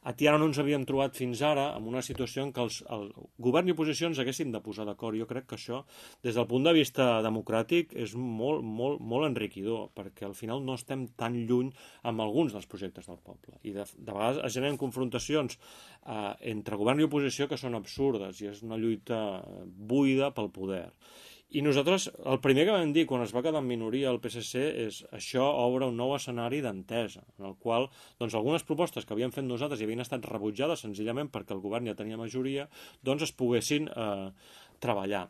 ara no ens havíem trobat fins ara en una situació en què el govern i oposició ens haguéssim de posar d'acord. Jo crec que això, des del punt de vista democràtic, és molt, molt, molt enriquidor, perquè al final no estem tan lluny amb alguns dels projectes del poble. I de vegades es generen confrontacions entre govern i oposició que són absurdes, i és una lluita buida pel poder. I nosaltres, el primer que vam dir quan es va quedar en minoria el PSC és això obre un nou escenari d'entesa, en el qual doncs, algunes propostes que havíem fet nosaltres i havien estat rebutjades senzillament perquè el govern ja tenia majoria, doncs es poguessin treballar.